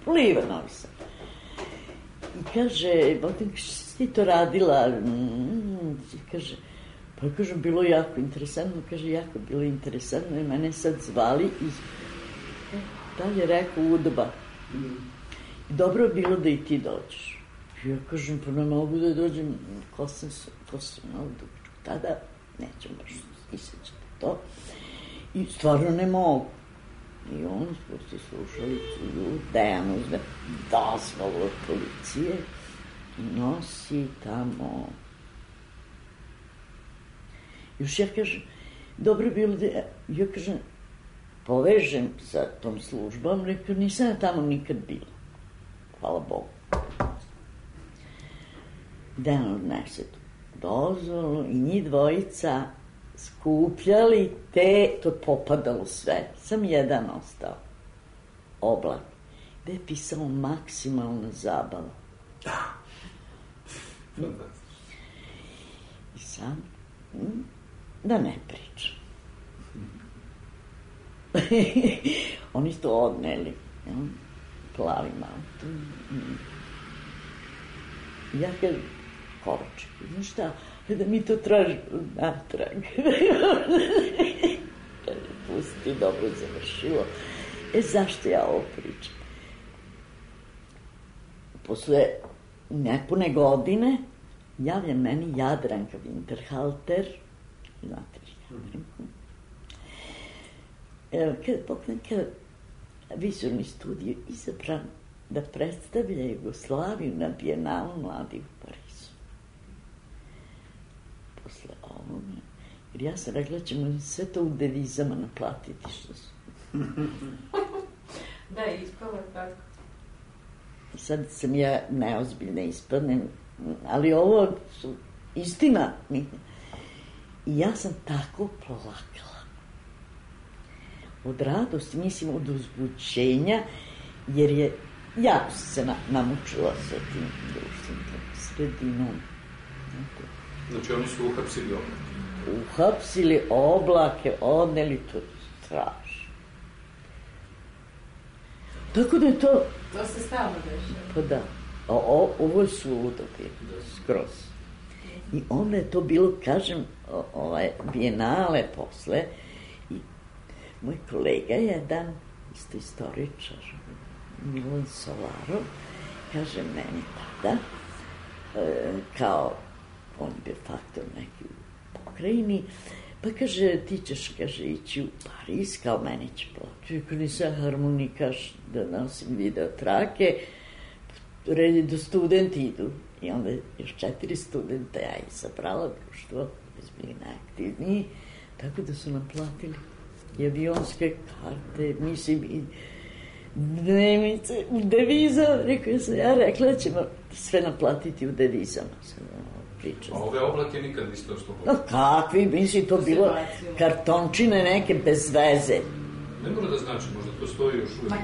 pliva Novi Sad. I kaže, Botin, što si ti to radila? Mm, kaže, pa kažem, bilo jako interesantno, kaže, jako bilo interesantno, i mene sad zvali i dalje rekao Udba. I dobro je bilo da i ti dođeš. Ja kažem, pa ne mogu da dođem, ko sam, ko sam ovdje, tada nećem baš isjećati to. I stvarno ne mogu. I on spusti slušalicu, ljud, Dejan uzme dozvolu od policije i nosi tamo. Još ja kažem, dobro je bilo da ja, ja kažem, povežem sa tom službom, rekao, nisam ja tamo nikad bila. Hvala Bogu. Dejan odnese tu dozvolu i njih dvojica skupljali te, to je popadalo sve, sam jedan ostao, oblak, gde je pisao maksimalna zabava. I sam, da ne pričam. Oni su to odneli, ja? Plavi auto. Ja kažem, Kovaček, znaš šta, da mi to tražimo natrag. Pusti, dobro završilo. E, zašto ja ovo pričam? Posle nepune godine javlja meni Jadranka Winterhalter, znate li Jadranku? Kada pokrenka Vizorni studio izabran da predstavlja Jugoslaviju na Bijenalu mladih u Parizu. Posle ovoga, jer ja sam rekla, ćemo sve to u devizama naplatiti što su. Da, ispala tako. Sad sam ja neozbiljna ispadnem, ali ovo su istina. I ja sam tako plakala. od radosti, mislim od uzbuđenja, jer je jako se na, namučila sa tim društvenom sredinom. Znači oni su uhapsili oblake? Uhapsili oblake, odneli, to strašno. Tako da je to... To se stalno dešava. Pa da. A o, ovo je suludo bilo, skroz. I onda je to bilo, kažem, ovaj, bijenale posle. I moj kolega jedan, isto istoričar, Milan Solarov, kaže meni tada, e, kao on je bio faktor neki u pokrajini, pa kaže, ti ćeš, kaže, ići u Pariz, kao meni će plaću, ako nisam harmonikaš da nosim video trake, red je da studenti idu. I onda još četiri studenta ja izabrala društvo, već bili najaktivniji, tako da su nam platili i avionske karte, mislim, i dnevnice u devizama. Rekao sam, ja rekla da ćemo sve naplatiti u devizama. Sam pričala. A ove oblake nikad niste oslobodili? No kakvi, mislim, to bilo kartončine neke bez veze. Ne mora da znači, možda to stoji još uvijek.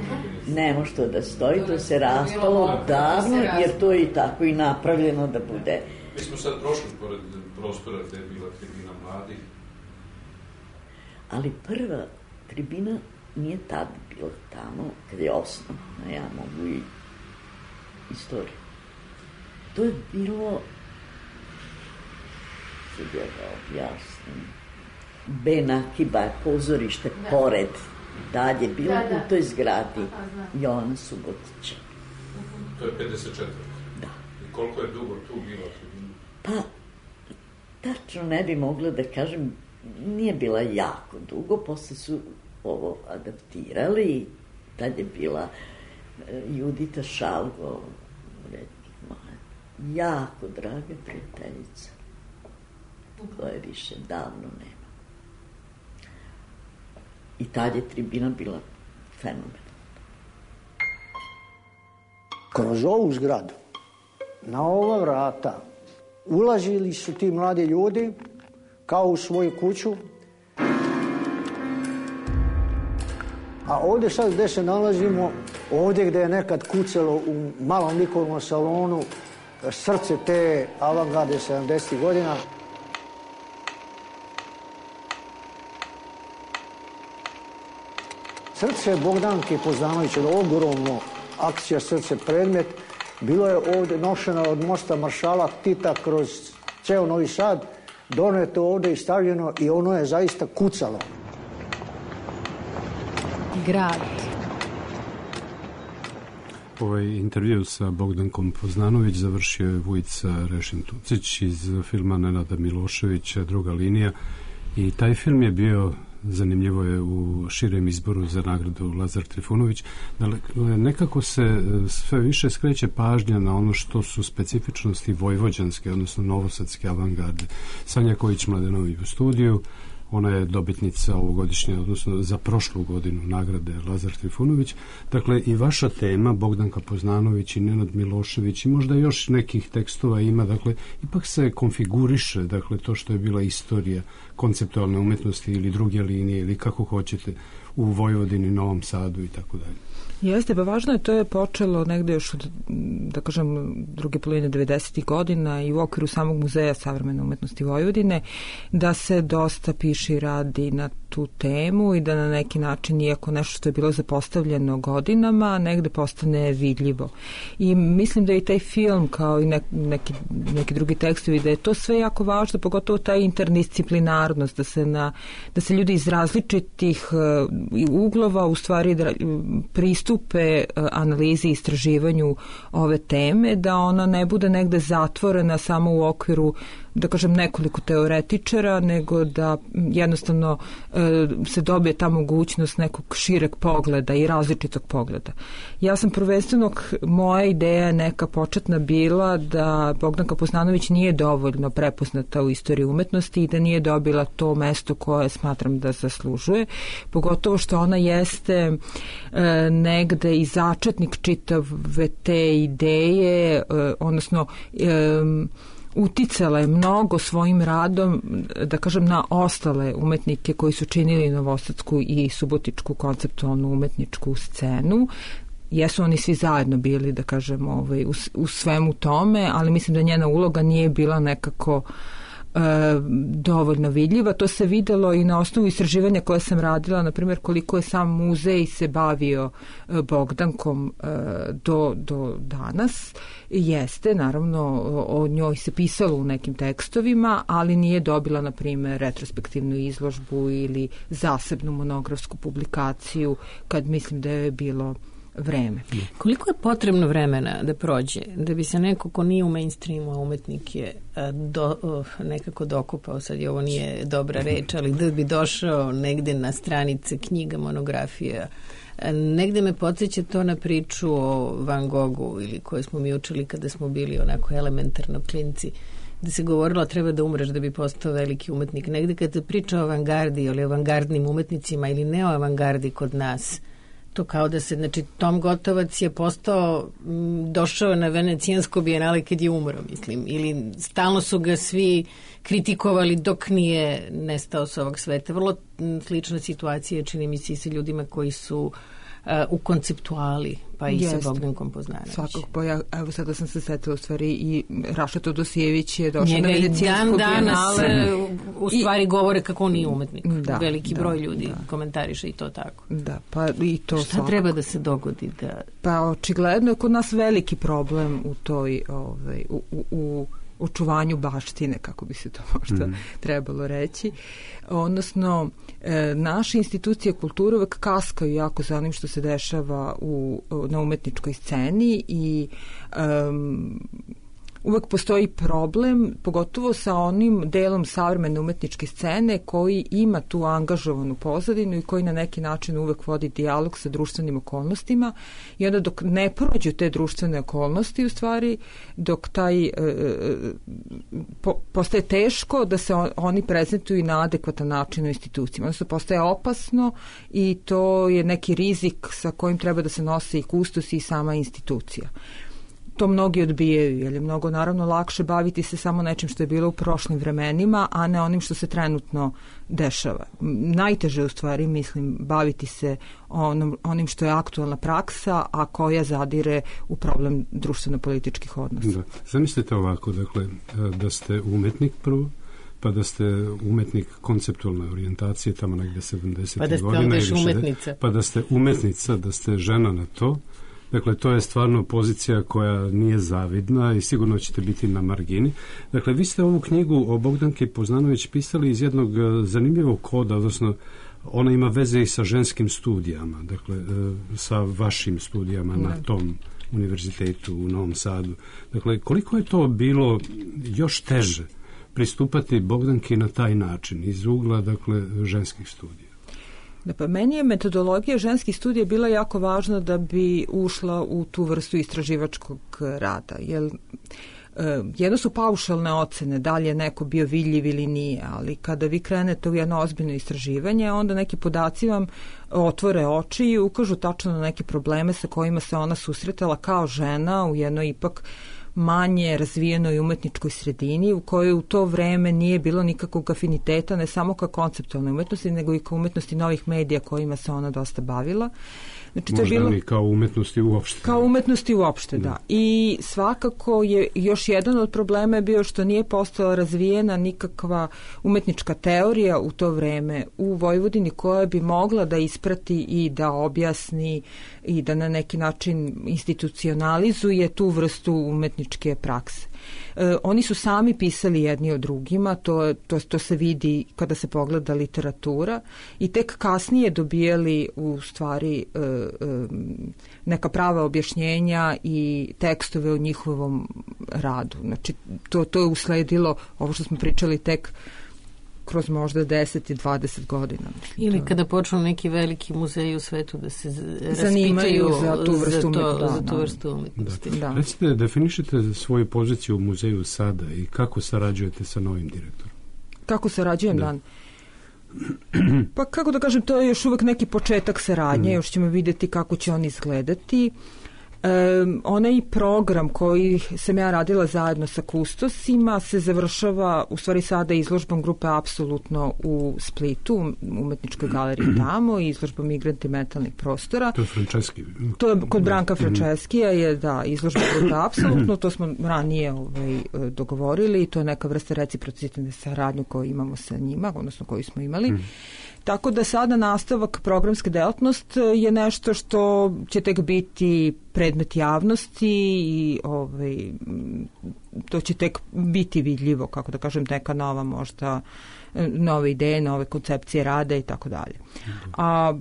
Ne može to da stoji, to se raspalo davno, jer to je i tako i napravljeno da bude. Mi smo sad prošli pored prostora gde je bila tribina mladih. Ali prva tribina nije tad bila tamo, kada je osnovna, ja mogu i istoriju. To je bilo, sad ja ga objasnim, Benakiba je pozorište pored, dalje bilo da, da. U toj zgradi Jovana Subotića. To je pedeset četiri. Da. I koliko je dugo tu bila tribina? Pa, tačno ne bi mogla da kažem, nije bila jako dugo, posle su ovo adaptirali i tad je bila Judita Šalgo, jako draga prijateljica, koje više davno nema. I tad je tribina bila fenomenalna. Kroz ovu zgradu, na ova vrata, ulazili su ti mladi ljudi kao u svoju kuću. A ovdje sad gdje se nalazimo, ovdje gdje je nekad kucalo u malom likovnom salonu srce te avangarde sedamdesetih godina, srce Bogdanke Poznanović, ogromno akcija Srce predmet, bilo je ovdje nošeno od mosta Maršala Tita kroz ceo Novi Sad, doneto ovdje i stavljeno i ono je zaista kucalo. Grad. Ovaj intervju sa Bogdankom Poznanović završio je Vujica Rešin-Tucić iz filma Nenada Miloševića Druga linija i taj film je bio, zanimljivo je, u širem izboru za nagradu Lazar Trifunović. Dakle, nekako se sve više skreće pažnja na ono što su specifičnosti vojvođanske, odnosno novosadske avangarde. Sanja Kojić-Mladenović u studiju, ona je dobitnica ovogodišnje, odnosno za prošlu godinu nagrade Lazar Trifunović. Dakle, i vaša tema, Bogdanka Poznanović i Nenad Milošević i možda još nekih tekstova ima, dakle, ipak se konfiguriše, dakle, to što je bila istorija konceptualne umetnosti ili druge linije ili kako hoćete u Vojvodini, Novom Sadu i tako dalje. Jeste, pa važno je, to je počelo negde još od, da kažem, druge polovine devedesetih godina i u okviru samog Muzeja savremene umetnosti Vojvodine, da se dosta piše i radi na tu temu i da na neki način, iako nešto što je bilo zapostavljeno godinama, negde postane vidljivo. I mislim da i taj film, kao i ne, neki, neki drugi tekstovi, da je to sve jako važno, pogotovo ta interdisciplinarnost, da se, na, da se ljudi iz različitih uh, uglova u stvari da, pristupe analizi i istraživanju ove teme, da ona ne bude negde zatvorena samo u okviru, da kažem, nekoliko teoretičara, nego da jednostavno e, se dobije ta mogućnost nekog šireg pogleda i različitog pogleda. Ja sam prvenstveno, moja ideja neka početna bila da Bogdanka Poznanović nije dovoljno prepoznata u istoriji umetnosti i da nije dobila to mesto koje smatram da zaslužuje, pogotovo što ona jeste e, negde i začetnik čitave te ideje, e, odnosno e, uticala je mnogo svojim radom, da kažem, na ostale umetnike koji su činili novosadsku i subotičku konceptualnu umetničku scenu. Jesu oni svi zajedno bili, da kažem, ovaj, u, u svemu tome, ali mislim da njena uloga nije bila nekako e, dovoljno vidljiva. To se videlo i na osnovu istraživanja koje sam radila, na primjer koliko je sam muzej se bavio e, Bogdankom e, do, do danas. Jeste, naravno, o, o njoj se pisalo u nekim tekstovima, ali nije dobila, na primjer, retrospektivnu izložbu ili zasebnu monografsku publikaciju, kad mislim da je bilo vreme. Koliko je potrebno vremena da prođe, da bi se neko ko nije u mainstreamu, a umetnik je do, nekako dokupao, sad je ovo nije dobra reč, ali da bi došao negde na stranice knjiga, monografija, negde me podsjeća to na priču o Van Goghu ili koje smo mi učili kada smo bili onako elementarno klinci, da se govorilo treba da umreš da bi postao veliki umetnik. Negde kada se priča o avangardi ili o avangardnim umetnicima ili ne o avangardi kod nas, to kao da se, znači, Tom Gotovac je postao, m, došao na Venecijansko bijenale kad je umro, mislim, ili stalno su ga svi kritikovali dok nije nestao s ovog sveta. Vrlo m, slična situacija čini mi se i sa ljudima koji su uh, u konceptuali, pa i Jeste. sa Bogdankom Poznanović. Svakog, pa ja, evo sada sam se setila u stvari i Raša Todosijević je došao Njega na Venecijansko dan danas bijenale. u stvari I, govore kako on nije umetnik. Da, veliki da, broj ljudi da. komentariše i to tako. Da, pa i to Šta svakog. treba da se dogodi da... Pa očigledno je kod nas veliki problem u toj, ovaj, u, u, u očuvanju baštine, kako bi se to možda mm. trebalo reći. Odnosno, e, naše institucije kulture uvek kaskaju jako za onim što se dešava u, na umetničkoj sceni i um, uvek postoji problem, pogotovo sa onim delom savremene umetničke scene koji ima tu angažovanu pozadinu i koji na neki način uvek vodi dijalog sa društvenim okolnostima i onda dok ne prođu te društvene okolnosti, u stvari, dok taj e, po, postaje teško da se on, oni prezentuju na adekvatan način u institucijama. Odnosno, postaje opasno i to je neki rizik sa kojim treba da se nose i kustos i sama institucija. To mnogi odbijaju, jer je mnogo naravno lakše baviti se samo nečim što je bilo u prošlim vremenima, a ne onim što se trenutno dešava. Najteže u stvari, mislim, baviti se onom, onim što je aktualna praksa, a koja zadire u problem društveno-političkih odnosa. Da. Zamislite ovako, dakle, da ste umetnik prvo, pa da ste umetnik konceptualne orijentacije tamo negde sedamdesetih pa da ste godina, ili umetnica. Pa da ste umetnica, da ste žena na to. Dakle, to je stvarno pozicija koja nije zavidna i sigurno ćete biti na margini. Dakle, vi ste ovu knjigu o Bogdanki Poznanović pisali iz jednog zanimljivog koda, odnosno ona ima veze i sa ženskim studijama, dakle, sa vašim studijama na tom univerzitetu u Novom Sadu. Dakle, koliko je to bilo još teže pristupati Bogdanki na taj način, iz ugla, dakle, ženskih studija? Da, pa meni je metodologija ženskih studija bila jako važna da bi ušla u tu vrstu istraživačkog rada. Jer e, jedno su paušalne ocene, da li je neko bio vidljiv ili nije, ali kada vi krenete u jedno ozbiljno istraživanje, onda neki podaci vam otvore oči i ukažu tačno na neke probleme sa kojima se ona susretala kao žena u jednoj ipak manje razvijenoj umetničkoj sredini u kojoj u to vreme nije bilo nikakvog afiniteta ne samo ka konceptualnoj umetnosti nego i ka umetnosti novih medija kojima se ona dosta bavila. Znači, možda to je bilo, ni kao umetnosti uopšte. Kao umetnosti uopšte, da. da. I svakako je još jedan od problema je bio što nije postala razvijena nikakva umetnička teorija u to vreme u Vojvodini koja bi mogla da isprati i da objasni i da na neki način institucionalizuje tu vrstu umetničke prakse. E, oni su sami pisali jedni o drugima, to, to, to se vidi kada se pogleda literatura i tek kasnije dobijali u stvari e, e, neka prava objašnjenja i tekstove o njihovom radu. Znači, to, to je usledilo, ovo što smo pričali, tek kroz možda deset i dvadeset godina. Mislim, ili to... kada počnu neki veliki muzeji u svetu da se zanimaju za tu vrstu, za to, da, za tu da. vrstu umetnosti. Da. Da. Recite, definišite svoju poziciju u muzeju sada i kako sarađujete sa novim direktorom? Kako sarađujem, da. Dan? Pa kako da kažem, to je još uvek neki početak saradnje, mm. još ćemo vidjeti kako će on izgledati. Um, onaj program koji sam ja radila zajedno sa kustosima se završava u stvari sada izložbom grupe Apsolutno u Splitu, u umetničkoj galeriji tamo, i izložbom Migranti metalnih prostora. To je Franceski. To je kod Branka Franceskija je da izložba grupe Apsolutno, to smo ranije ovaj, dogovorili i to je neka vrsta reciprocitetne saradnje koju imamo sa njima, odnosno koju smo imali. Mm. Tako da sada nastavak programske delatnost je nešto što će tek biti predmet javnosti i ovaj, to će tek biti vidljivo, kako da kažem, neka nova možda, nove ideje, nove koncepcije rada i tako dalje. A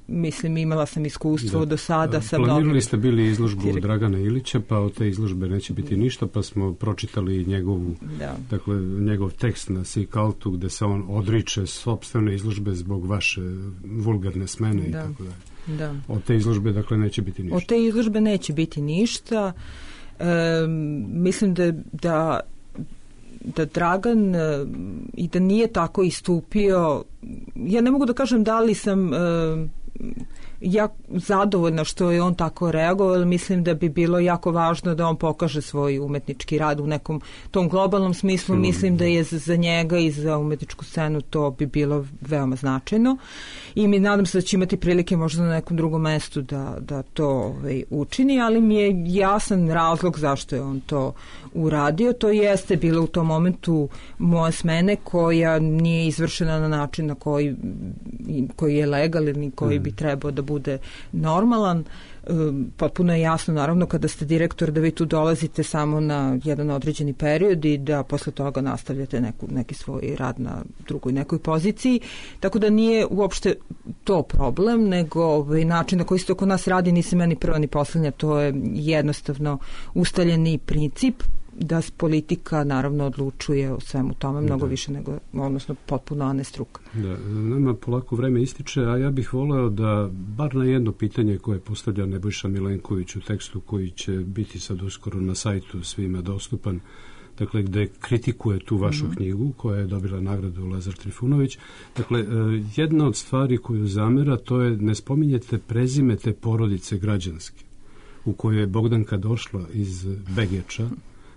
mislim, imala sam iskustvo da. do sada. Sa Planirali mnogim... ste bili izložbu Dragana Ilića, pa od te izložbe neće biti ništa, pa smo pročitali njegovu, da. dakle, njegov tekst na Sikaltu gde se on odriče sopstvene izložbe zbog vaše vulgarne smene da. i tako dalje. Da. Od te izložbe, dakle, neće biti ništa. Od te izložbe neće biti ništa. E, mislim da, da da Dragan i da nije tako istupio, ja ne mogu da kažem da li sam e, ja zadovoljna što je on tako reagovao, ali mislim da bi bilo jako važno da on pokaže svoj umetnički rad u nekom tom globalnom smislu. Mislim da je za njega i za umetničku scenu to bi bilo veoma značajno i mi nadam se da će imati prilike možda na nekom drugom mestu da, da to ovaj, učini, ali mi je jasan razlog zašto je on to uradio. To jeste bilo u tom momentu moja smene koja nije izvršena na način na koji, koji je legalan i koji bi trebao da bude normalan. Potpuno je jasno, naravno, kada ste direktor, da vi tu dolazite samo na jedan određeni period i da posle toga nastavljate neku, neki svoj rad na drugoj nekoj poziciji. Tako da nije uopšte to problem, nego ovaj, način na koji se to kod nas radi nisi meni prva ni poslednja, to je jednostavno ustaljeni princip da politika naravno odlučuje o svemu tome mnogo da. više nego, odnosno potpuno ane struka. Da, nama polako vreme ističe, a ja bih voleo da bar na jedno pitanje koje postavlja Nebojša Milenković u tekstu koji će biti sad uskoro na sajtu svima dostupan, dakle gde kritikuje tu vašu mm-hmm. knjigu koja je dobila nagradu Lazar Trifunović. Dakle, jedna od stvari koju zamera to je ne spominjete prezime te porodice građanske u kojoj je Bogdanka došla iz Begeča,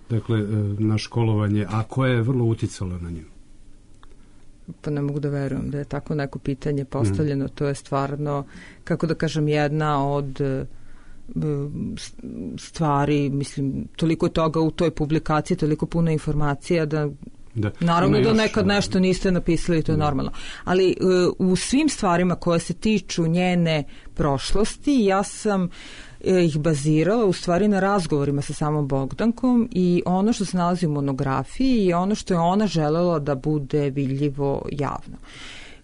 dakle, na školovanje, a koja je vrlo uticala na nju? Pa ne mogu da verujem da je tako neko pitanje postavljeno. Mm. To je stvarno, kako da kažem, jedna od stvari, mislim, toliko je toga u toj publikaciji, toliko puno informacija da Da. Naravno da nekad nešto niste napisali, to je da. normalno. Ali uh, u svim stvarima koje se tiču njene prošlosti, ja sam uh, ih bazirala u stvari na razgovorima sa samom Bogdankom i ono što se nalazi u monografiji je ono što je ona želela da bude vidljivo javno.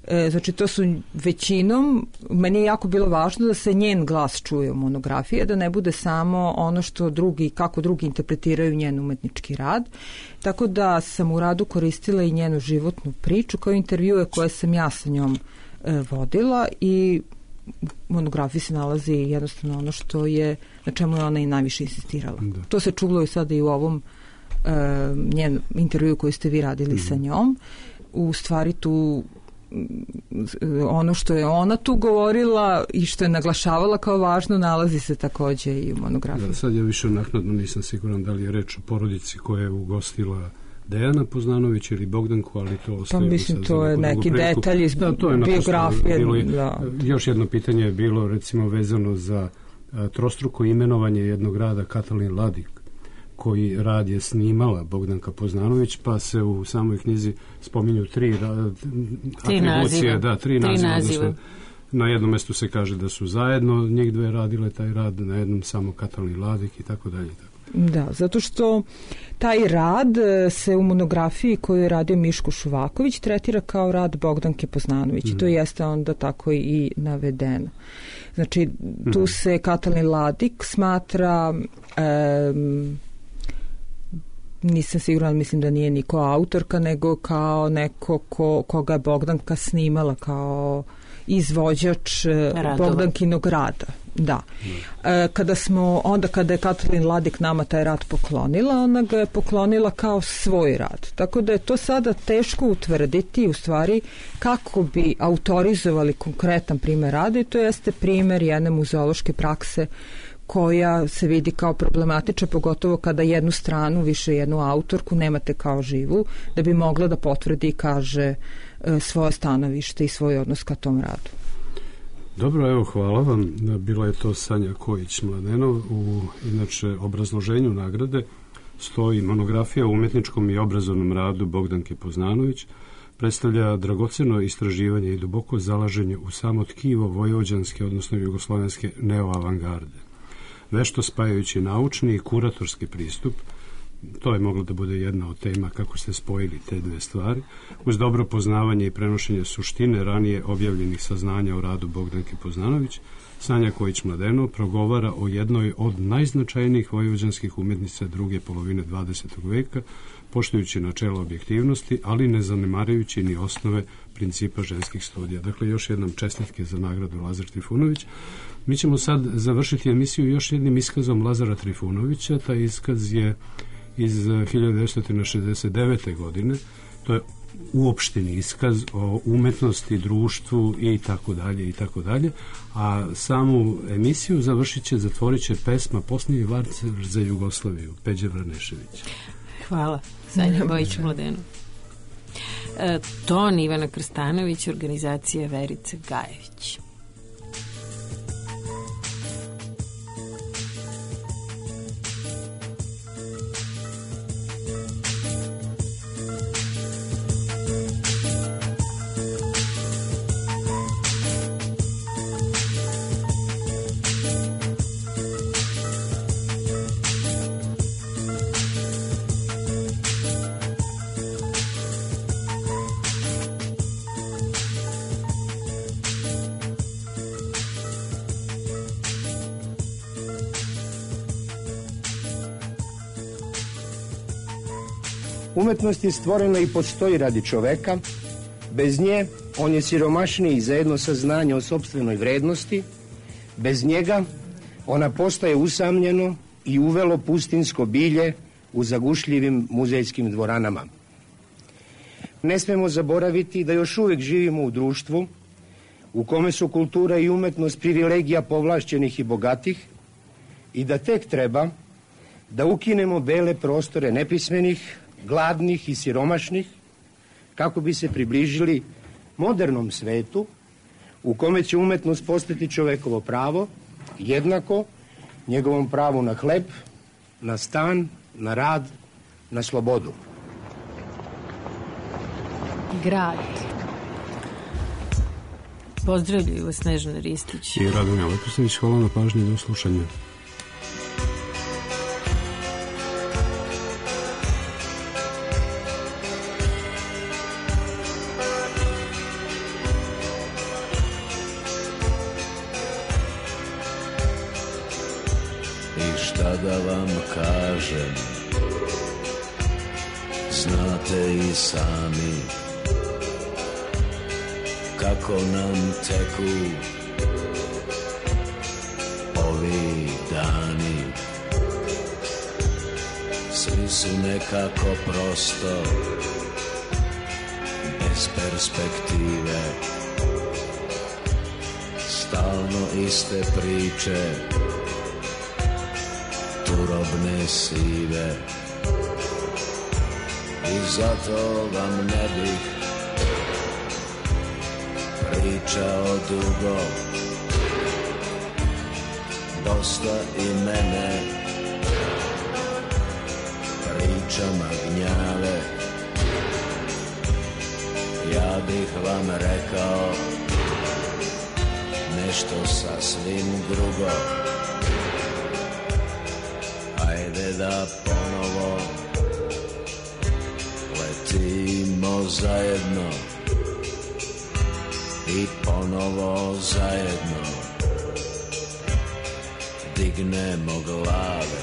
E, znači to su većinom, meni je jako bilo važno da se njen glas čuje u monografiji, da ne bude samo ono što drugi, kako drugi interpretiraju njen umetnički rad, tako da sam u radu koristila i njenu životnu priču kao intervjue koje sam ja sa njom e, vodila i u monografiji se nalazi jednostavno ono što je, na čemu je ona i najviše insistirala. Da. To se čulo i sada i u ovom e, njen intervju koji ste vi radili mm. sa njom. U stvari tu ono što je ona tu govorila i što je naglašavala kao važno nalazi se takođe i u monografiji. Da, sad ja više naknadno nisam siguran da li je reč o porodici koja je ugostila Dejana Poznanović ili Bogdanku, ali to ostaje. Pa mislim to je neki detalj iz da, biografije. Bilo, da. Još jedno pitanje je bilo recimo vezano za a, trostruko imenovanje jednog rada Katalin Ladik, koji rad je snimala Bogdanka Poznanović, pa se u samoj knjizi spominju tri, ra, tri naziva. Da, tri, tri naziva. naziva. Na jednom mestu se kaže da su zajedno njih dve radile taj rad, na jednom samo Katalin Ladik i tako dalje. Da, zato što taj rad se u monografiji koju je radio Miško Šuvaković tretira kao rad Bogdanke Poznanović mm. i to jeste onda tako i navedeno. Znači, tu mm. se Katalin Ladik smatra um, nisam sigurna, mislim da nije niko autorka, nego kao neko ko, koga je Bogdanka snimala kao izvođač Radova. Bogdankinog rada. Da. E, kada smo, onda kada je Katalin Ladik nama taj rad poklonila, ona ga je poklonila kao svoj rad. Tako da je to sada teško utvrditi u stvari kako bi autorizovali konkretan primer rada i to jeste primer jedne muzeološke prakse koja se vidi kao problematična, pogotovo kada jednu stranu, više jednu autorku nemate kao živu, da bi mogla da potvrdi i kaže svoje stanovište i svoj odnos ka tom radu. Dobro, evo, hvala vam. Bila je to Sanja Kojić-Mladenov. U, inače, obrazloženju nagrade stoji monografija o umetničkom i obrazovnom radu Bogdanke Poznanović. Predstavlja dragoceno istraživanje i duboko zalaženje u samo tkivo vojvođanske, odnosno jugoslovenske neoavangarde. Vešto spajajući naučni i kuratorski pristup, to je moglo da bude jedna od tema kako ste spojili te dve stvari, uz dobro poznavanje i prenošenje suštine ranije objavljenih saznanja o radu Bogdanke Poznanović, Sanja Kojić-Mladenov progovara o jednoj od najznačajnijih vojvođanskih umetnica druge polovine dvadesetog veka, poštujući načelo objektivnosti, ali ne zanemarujući ni osnove principa ženskih studija. Dakle, još jednom čestitke za nagradu Lazar Trifunović. Mi ćemo sad završiti emisiju još jednim iskazom Lazara Trifunovića. Taj iskaz je iz hiljadu devetsto šezdeset devete. godine. To je uopšteni iskaz o umetnosti, društvu i tako dalje i tako dalje. A samu emisiju završit će, zatvorit će pesma Posljednji valcer za Jugoslaviju, Peđe Vranešević. Hvala, Sanja Kojić-Mladenov. E, ton Ivana Krstanović, organizacija Verice Gajević. Umetnost je stvorena i postoji radi čoveka. Bez nje on je siromašniji za jedno saznanje o sopstvenoj vrednosti. Bez njega ona postaje usamljeno i uvelo pustinsko bilje u zagušljivim muzejskim dvoranama. Ne smemo zaboraviti da još uvek živimo u društvu u kome su kultura i umetnost privilegija povlašćenih i bogatih i da tek treba da ukinemo bele prostore nepismenih, gladnih i siromašnih, kako bi se približili modernom svetu u kome će umetnost postati čovekovo pravo, jednako njegovom pravu na hleb, na stan, na rad, na slobodu. Grad. Pozdravljaju vas Snežana Ristić i Radomir Leposavić. Hvala na pažnji i do slušanja. Da vam kažem, znate i sami kako nam teku ovi dani. Svi su nekako prosto bez perspektive, stalno iste priče, turobne sive, i zato vam ne bih pričao dugo. Dosta i mene pričama gnjave. Ja bih vam rekao nešto sasvim drugo. Ajde da ponovo letimo zajedno i ponovo zajedno dignemo glave.